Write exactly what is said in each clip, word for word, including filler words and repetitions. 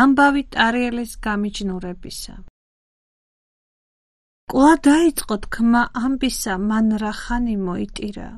ამბავი ტარიელის გამიჯნურებისა. კვლავ დაიწყო თქმა ამბისა, მან რა ხანი მოიტირა.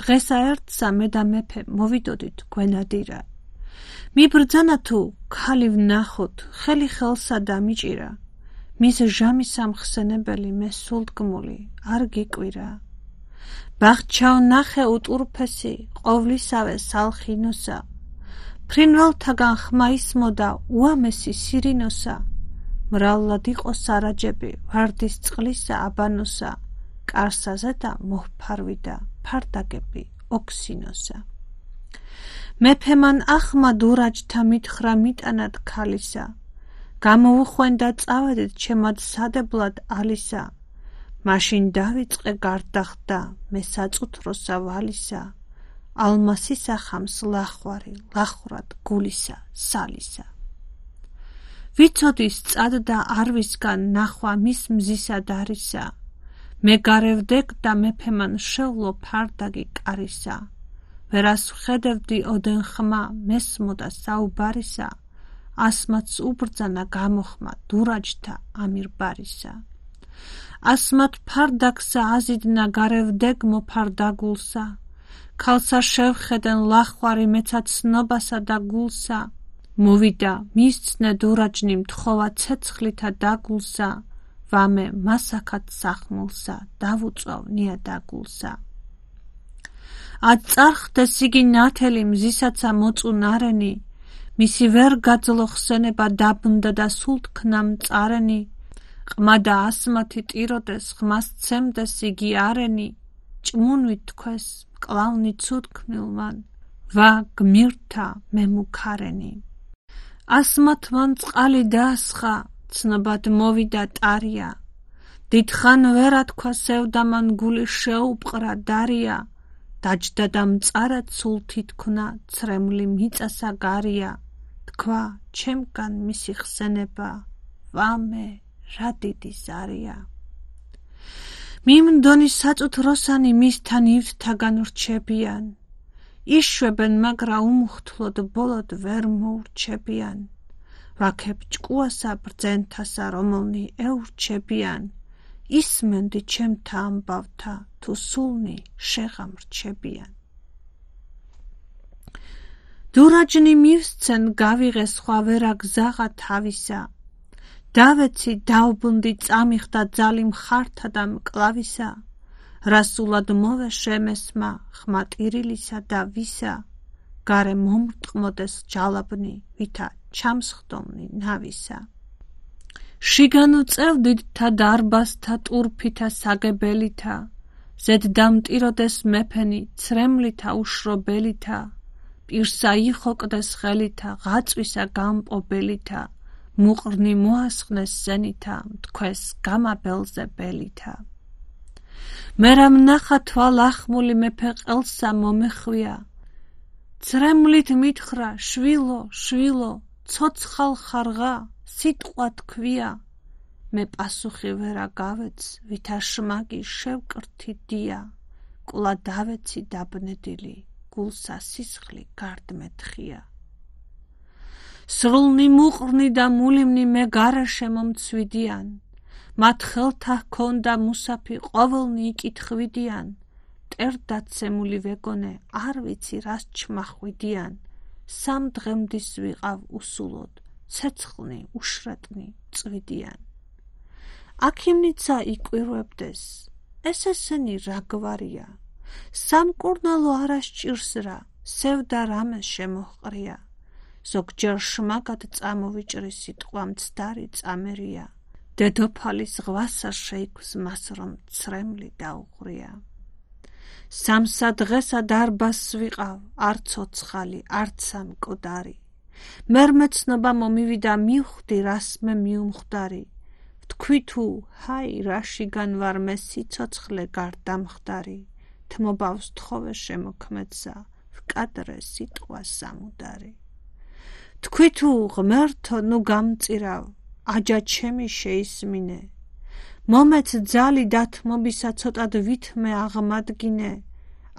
დღესა ერთსა მე და მეფე მოვიდოდით გვენადირა. მიბრძანა თუ ქალი ვნახოთ, ხელი ხელსა დამიჭირა. მის ჟამის ამხსენებელი მე სულდგმული არ გიკვირა. ბაღჩაო ნახე უტურფესი, ყოვლისავე სალხინოსა. ფრინველთაგან ხმა ისმოდა უამესი სირინოსა. მრავლად იყო სარაჯები, ვარდის წყლისა აბანოსა. კარსაზე და მოჰფარვიდა ფარდაგები ოქსინოსა. მეფე მან ახმა დურაჯთა მითხრა მიტანად ქალისა. გამოუხვენდა წავედით ჩემად სადებლად ალისა. მაშინ დავიწყე გარდახდა მე საწუთროსა ვალისა. ალმასისა ხამს ლახვარი ლახრად გულისა სალისა. ვიცოდი სწადდა არვისგან ნახვა მის მზისა დარისა. მე გარევდეკ და მეფე მან შევლო ფარდაგი კარისა. ვერას ვხედევდი ოდენ ხმა მესმოდა საუბარისა. ასმაც უბრძანა გამოხმა დურაჯთა ამირბარისა. ასმათ ფარდაგსა აზიდნა გარევდეკ მოფარდაგულსა. ქალსა შევხედენ ლახვარი მეცად ცნობასა და გულსა. მოვიდა მისცნე დურაჯნი მთხოვა ცეცხლითა დაგულსა. ვამე მასაკად სახმულსა დავუწვავ ნიადაგულსა. ად წარხდეს იგი ნათელი მზისაცა მოწუნარენი. მისი ვერ გაძლო ხსენება დაბნდა და სულ თქნა მწარენი. ყმა და ასმათი ტიროდეს ხმას ცემდეს იგი არენი. ჭმუნვით თქვეს მკლავნი ცუდქმნილმან. ვა გმირთა მე მუქარენი. ასმათ მან წყალი დაასხა, ცნობად მოვიდა ტარია. დიდხან ვერა თქვა სევდა მან გული შეუპყრა დარია. დაჯდა და მწარად სულ თითქნა ცრემლი მიწასა გარია. თქვა ჩემგან მისი ხსენება, ვამე რა დიდი ზარია. მიმდონი საწუთროსანი მისთან ივთაგან რჩებიან. იშვებენ მაგრა უმუხთლოდ ბოლოდ ვერ მოურჩებიან. ვაქებ ჭკუასა ბრძენთასა რომელნი ეურჩებიან. ისმენდი ჩემთა ამბავთა თუ სულნი შეღამრჩებიან. დურაჯნი მივსცენ გავიღე სხვა ვერა გზაღა თავისა. დავეცი დავბუნდი წამიხდა ძალი მხართა და მკლავისა. რასულად მოვე შემესმა ხმა ტირილისა და ვისა. გარე მომრტყმოდეს ჯალაბნი ვითა ჩამსხდომნი ნავისა. შიგან უწევდით თა დარბაზთა ტურფითა საგებელითა. ზედ დამტიროდეს მეფენი ცრემლითა უშრობელითა. პირსა იხოკდეს ხელითა ღაწვისა გამპობელითა. მუყრნი მოასხნეს სენითა მთქვეს გამაბელზე ბელითა. მერა მნახა თვალ ახმული მეფე ყელსა მომეხვია. ცრემლით მითხრა შვილო შვილო ცოცხალ ხარღა სიტყვა თქვია. მე პასუხი ვერა გავეც ვითა შმაგი შევკრთი დია. კულა დავეცი დაბნედილი გულსა სისხლი გარდმეთხია. სრულნი მუყრნი და მულიმნი მე გარეშე მომცვიდიან. მათ ხელთა ჰქონდა მუსაფი ყოველნი იკითხვიდიან. მტერდაცემული ვეგონე არ ვიცი რას ჩმახვიდიან. სამ დღემდის ვიყავ უსულოდ ცეცხლნი უშრეტნი წვიდიან. აქიმნიცა იკვირვებდეს ეს ესენი რა გვარია. სამკურნალო არა სჭირს რა სევდა რამე შემოჰყრია. ზოგჯერ შმაგად წამოვიჭრი სიტყვა მცდარი წამერია. დედოფალის ღვასა შეიქმს მას რომ ცრემლი დაუღრია. სამსა დღესა დარბაზს ვიყავ არ ცოცხალი არცა მკვდარი. მერმე ცნობა მომივიდა მივხვდი რას მე მიუმხდარი. ვთქვი თუ ჰაი რაშიგან ვარ მე სიცოცხლე გარდამხდარი. თმობავს თხოვე შემოქმედსა ვკადრე სიტყვა სამუდარი. თქვი თუ ღმერთო ნუ გამწირავ აჯა ჩემი შეისმინე. მომეც ძალი დათმობისა ცოტად ვითმე აღმადგინე.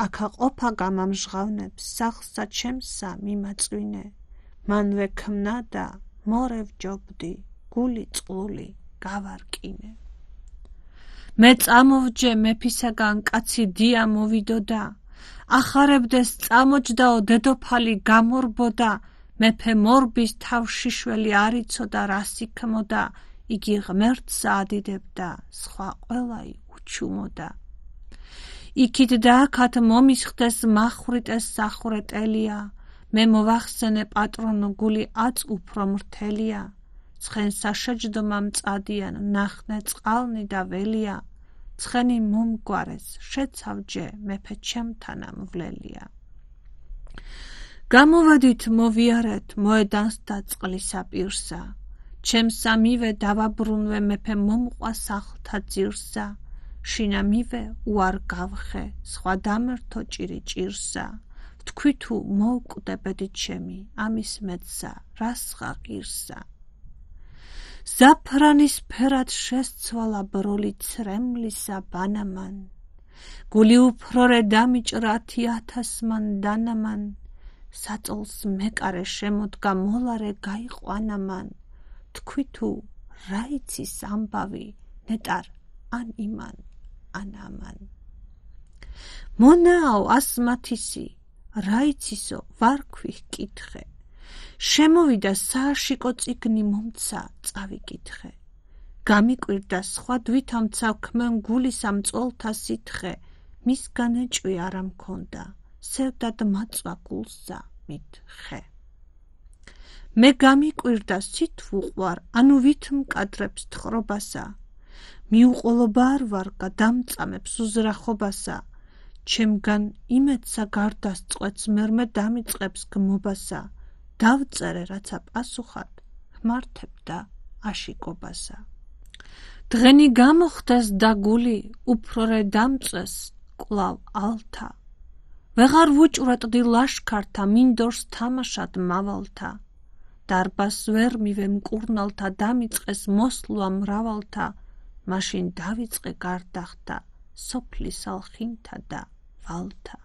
აქა ყოფა გამამჟღავნებს სახლსა ჩემსა მიმაწვინე. მანვე ქმნა და მორევჯობდი, გული წყლული გავარკინე. მე წამოვჯე მეფისაგან კაცი დია მოვიდოდა, ახარებდეს წამოჯდაო დედოფალი გამორბოდა, მეფე მორბის თავშიშველი არ იცოდა რას იქმოდა, იგი ღმერთსა ადიდებდა, სხვა ყველაი უჩუმოდა. იქით და აქათ მომისხდეს მახვრიტეს სახვრეტელია, მე მოვახსენე პატრონო გული აწ უფრო მრთელია, ცხენ საშეჯდომა მწადიან ნახნე წყალნი და ველია, ცხენი მომგვარეს შეცავჯე მეფე ჩემთანა მვლელია. გამოვედით მოვიარეთ მოედანს და წყლისა პირსა, ჩემსა მივე დავაბრუნვე მეფე მომყვა სახლთა ძირსა, შინა მივე უარ გავხე სხვა დამერთო ჭირი ჭირსა, თქვი თუ მოუკვდე ბედი ჩემი ამის მეცსა რას ღაღირსა. ზაფრანის ფერად შესცვალა ბროლი ცრემლისა ბანამან, გული უფრორე დამიჭრა ათი ათასმან დანამან, საწოლს მეკარე შემოდგა მოლარე გაიყვანამან, თქვი თუ რა იცის ამბავი ნეტარ ან იმან ან ამან. მონაო ასმათისი რა იცისო ვარქვი ჰკითხე, შემოვიდა სააშიკო წიგნი მომცა წავიკითხე, გამიკვირდა სხვა დვითამცა ქმენ გულისა მწოლთა სითხე, მისგან ეჭვი არა მქონდა, სევდად მაწვა გულსა მითხე. მე გამიკვირდა სით ვუყვარ, ანუ ვით მკადრებს თხრობასა, მიუყოლობა არ ვარ გადამწამებს უზრახობასა, ჩემგან იმედსა გარდასწყვეტს მერმე დამიწყებს გმობასა, დავწერე რაცა პასუხად ჰმართებდა აშიკობასა. დღენი გამოხდეს და გული უფრორე დამწეს კვლავ ალთა, ვეღარ ვუჭვრეტდი ლაშქართა მინდორს თამაშად მავალთა, დარბას ვერ მივე მკურნალთა დამიწყეს მოსლვა მრავალთა, მაშინ დავიწყე გარდახთა სოფლის ალხინთა და ვალთა.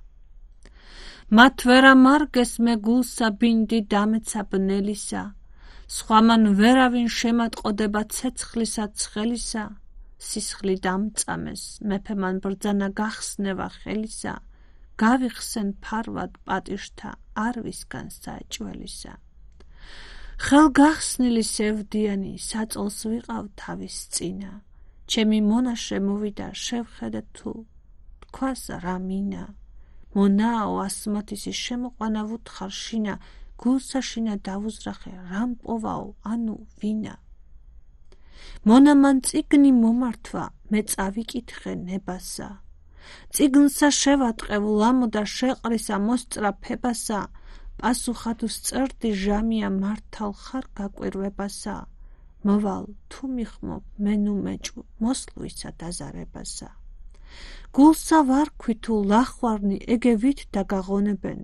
მათ ვერა მარგეს მე გულსა ბინდი დამეცა ბნელისა, სხვამან ვერავინ შემატყოდება ცეცხლისა ცხელისა, სისხლი დამწამეს მეფე მან ბრძანა გახსნევა ხელისა, გავიხსენ ფარვად პატიშთა არ ვისგან საჭველისა. ხელგახსნილი სევდიანი საწოლს ვიყავ თავის წინა, ჩემი მონა შემოვიდა შევხედე თუ თქვას რა მინა, მონაო ასმათისი შემოყვანა ვუთხარ შინა, გულსა შინა დავუზრახე რამ პოვაო ანუ ვინა. მონა მან წიგნი მომართვა მე წავიკითხე ნებასა, წიგნსა შევატყევ ლამოდა შეყრისა მოსწრა ფებასა, პასუხად ვსწერდი ჟამია მართალ ხარ გაკვირვებასა, მოვალ თუ მიხმობ მე ნუ მეჭვ მოსლვისა დაზარებასა. გულსა ვარქვი თუ ლახვარნი ეგე ვით დაგაღონებენ,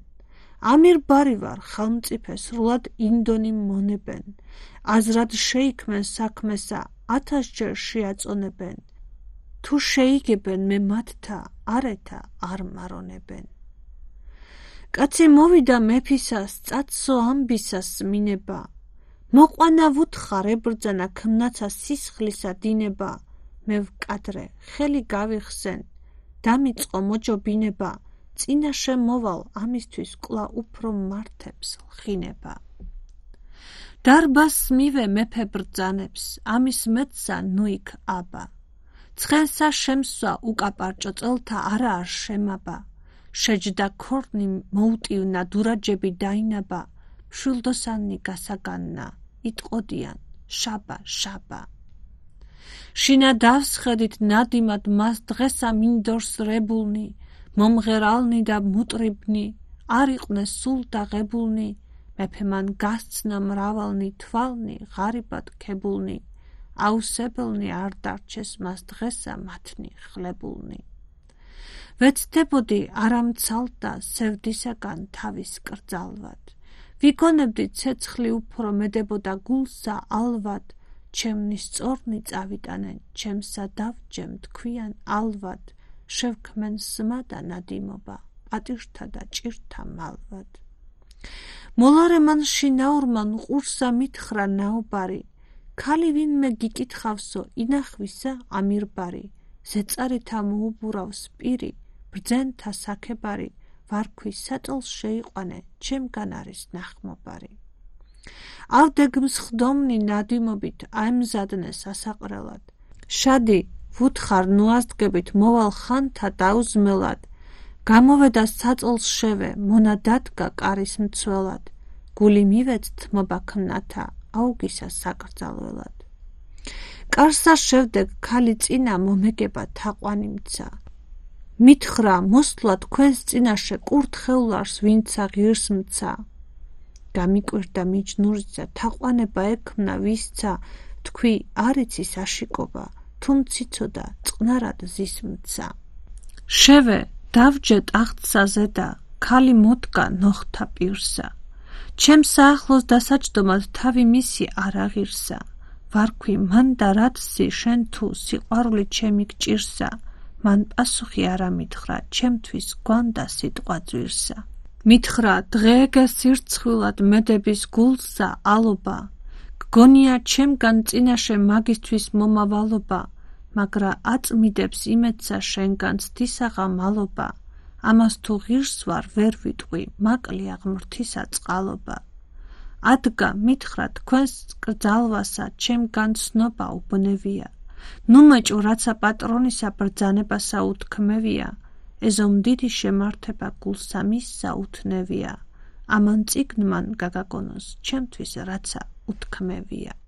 ამირ ბარი ვარ ხელმწიფე სრულად ინდონი მონებენ, აზრად შეიქმენ საქმესა ათასჯერ შეაწონებენ, თუ შეიგებენ მე მათთა არეთა არ მარონებენ. კაცი მოვიდა მეფისას წაცო ამბისას მინება, მოყვანა ვუთხარ ებრძანა ქმნაცა სისხლისა დინება, მე ვკადრე ხელი გავიხსენ დამიწყო მოჯობინება, წინაშე მოვალ ამისთვის კვლავ უფრო მართებს ლხინება. დარბას მივე მეფე ბრძანებს ამის მეცსა ნუიქ აბა, ცხენსა შემსვა უკაპარჭო წელთა არა არ შემაბა, შეჯდა ქორნი მოუტივნა დურაჯები დაინაბა, მშვილდოსანი გასაგანნა იტყოდიან შაბა შაბა. შინა დავსხედით ნადიმად მას დღესა მინდორს რებულნი, მომღერალნი და მუტრიბნი, არ იყვნენ სულ დაღებულნი, მეფე მან გასცნა მრავალნი თვალნი ღარიბად ქებულნი, აუსებელნი არ დარჩეს მას დღესა მათნი ხლებულნი. ვეცდებოდი არამცალდა სევდისაგან თავის კრძალვად, ვიგონებდი ცეცხლი უფრო მედებოდა გულსა ალვად, ჩემნი სწორნი წავიტანენ ჩემსა დავჯემ თქვიან ალვად, შევქმენ სმა და ნადიმობა პატიშთა და ჭირთა მალვად. მოლარე მან შინაურმან ყურსა მითხრა ნაუბარი, ქალი ვინმე გიკითხავსო ინახვისა ამირბარი, ზეწარითა მოუბურავს პირი, ბრძენთა საქებარი, ვარქვი სატოლს შეიყვანე, ჩემგან არის ნახმობარი. ავდეგმს ხდომნი ნადიმობით აემზადნე სასაყრელად, შადი ვუთხარ ნუაზდგებით მოვალ ხანთა დაუზმელად, გამოვედა საწოლს შევე, მონა დადგა კარის მცველად, გული მივეც თმობა ქმნათა, აუგისა საკრძალველად. კარსა შევდე ქალი წინა მომეგება თაყვანიმცა, მითხრა მოსვლა თქვენს წინაშე კურთხეულარს ვინცა ღირს მცა, გამიკვირდა მიჯნურიცა თაყვანება ექმნა ვისცა, თქვი არიცი საშიკობა, თუმ ციცოდა წყნარად ზის მცა. შევე დავჯე ტახტსა ზედა, ქალი მოდგა ნოხთა პირსა, ჩემ საახლოს დასაჯდომად თავი მისი არ აღირსა, ვარქვი მან და რათსი შენ თუ სიყვარული ჩემი გჭირსა, მან პასუხი არ ამითხრა, ჩემთვის გვანდა სიტყვა ძვირსა. მითხრა დღეეგე სირცხვილად მედების გულსა ალობა, გგონია ჩემგან წინაშე მაგისთვის მომავალობა, მაგრა აწმიდებს იმედსა შენგან ცდისაღა მალობა, ამას თუ ღირს ვარ ვერ ვიტყვი, მაკლია ღმრთისა წყალობა. ადგა მითხრა თქვენს კრძალვასა ჩემგან ცნობა უბნევია, ნუ მეჭო რაცა პატრონისა ბრძანებასა უთქმევია, ეზომ დიდი შემართება გულსა მისსა უთნევია, ამან წიგნმან გაგაგონოს ჩემთვის რაცა უთქმევია.